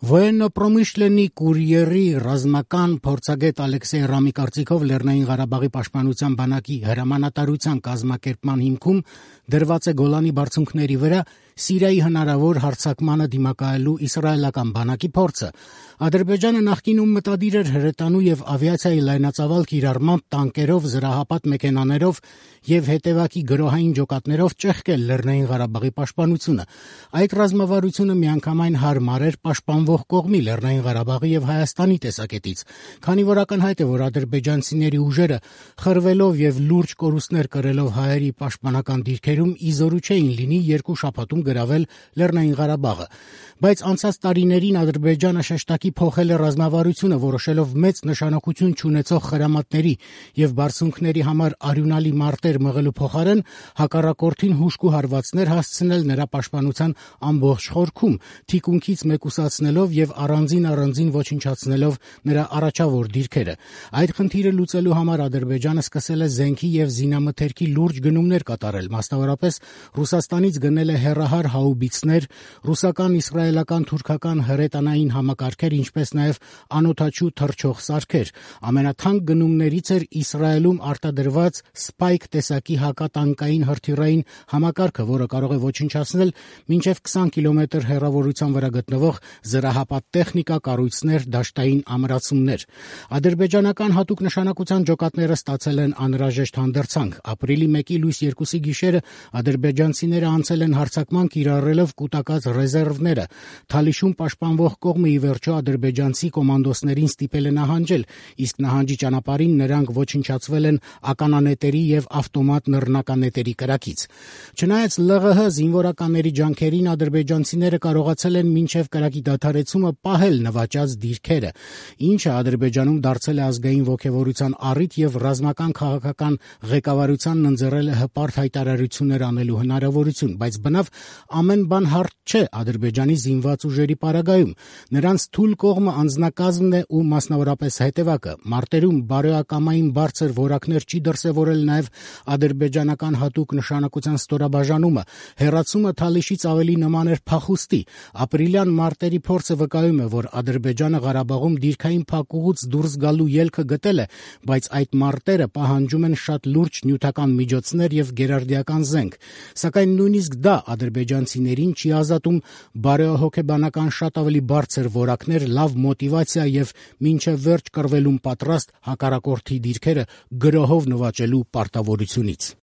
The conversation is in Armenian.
Военно-промышленный կուրիերի ռազմական փորձագետ Ալեքսեյ Ռամի կարծիքով Լեռնային Ղարաբաղի պաշտպանության բանակի հրամանատարության կազմակերպման հիմքում դրված է Գոլանի բարձունքների վրա Սիրիայի հնարավոր հարձակմանը դիմակայելու իսրայելական բանակի փորձը։ Ադրբեջանը նախկինում մտադիր էր հրետանու եւ ավիացիայի լայնածավալ կիրառմամբ տանկերով, զրահապատ մեքենաներով եւ հետեւակի գրոհային ջոկատներով ճեղքել Լեռնային Ղարաբաղի պաշտպանությունը։ Այդ ռազմավարությունը միանգամայն հարմար էր պաշտպանվող կողմի Լեռնային Ղարաբաղի եւ Հայաստանի տեսակետից, քանի որ ակնհայտ է, որ ադրբեջանցիների ուժերը խրվելով եւ լուրջ կորուստներ կրելով հայերի պաշտպանական դիրքերում իզորու չէին լինի երկու շաբաթում գրավել Լեռնային Ղարաբաղը, բայց անցած տարիներին Ադրբեջանը շեշտակի փոխել է ռազմավարությունը, որոշելով մեծ նշանակություն չունեցող խրամատների եւ բարձունքների համար արյունալի մարտեր մղելու փոխարեն հակառակորդին հուժկ ու հարվածներ հասցնել նրա պաշտպանության ամբողջ խորքում, թիկունքից մեկուսացնելով եւ առանձին ոչնչացնելով նրա առաջավոր դիրքերը։ Այդ խնդիրը լուծելու համար Ադրբեջանը սկսել է զենքի եւ զինամթերքի լուրջ գնումներ կատարել, մասնավորապես Ռուսաստանից գնել է հեռահար հաուբիցներ, ռուսական, իսրայելական, թուրքական հրետանային համակարգեր, ինչպես նաեւ անօդաչու թռչող սարքեր։ Ամենաթանկ գնումներից էր Իսրայելում արտադրված Spike տեսակի հակատանկային հրթիռային համակարգը, որը կարող է ոչնչացնել մինչև 20 կիլոմետր հեռավորության վրա գտնվող զրահապատ տեխնիկա, կառույցներ, դաշտային ամրացումներ։ Ադրբեջանական հատուկ նշանակության ջոկատները ստացել են անհրաժեշտ հանդերձանք։ Ապրիլի 1-ի լույս 2-ի գիշերը ադրբեջանցիները անցել են հարձակման, կիրառելով կուտակած ռեզերվները։ Թալիշում պաշտպանվող կողմը ի վերջո ադրբեջանցի կոմանդոսներին ստիպել է նահանջել, իսկ նահանջի ճանապարհին նրանք ոչնչացվել են ականանետերի եւ ավտոմատ նռնականետերի կրակից։ Չնայած ԼՂՀ զինվորականների ջանքերին, ադրբեջանցիները կարողացել են մինչև կրակի դադարեցումը պահել նվաճած դիրքերը, ինչը Ադրբեջանում դարձել է ազգային ոգևորության առիթ եւ ռազմական քաղաքական ղեկավարությանն ընձեռել է հպարտ հայտարարություններ անելու հնարավորություն, բայց բնավ ամեն բան հարթ չէ Ադրբեջանի զինված ուժերի պարագայում։ Նրանց թույլ կողմը անձնակազմն է ու մասնավորապես հետևակը։ Մարտերում բարոյակամային բարձր որակներ չի դրսևորել նաեւ ադրբեջանական հատուկ նշանակության ստորաբաժանումը։ Հեռացումը Թալիշից ավելի նման էր փախուստի։ Ապրիլյան մարտերի փորձը վկայում է, որ Ադրբեջանը Ղարաբաղում դիրքային փակուղուց դուրս գալու ելքը գտել է, բայց այդ մարտերը պահանջում են շատ լուրջ նյութական միջոցներ եւ գերարդիական զենք։ Սակայն նույնիսկ դա ադրբեջանցիներին չի ազատում բարոյահոգեբանական շատ ավելի բարձր որակներ, լավ մոտիվացիա եւ մինչեւ վերջ կռվելուն պատրաստ հակառակորդի դիրքերը գրոհով նվաճելու պարտավորությունից։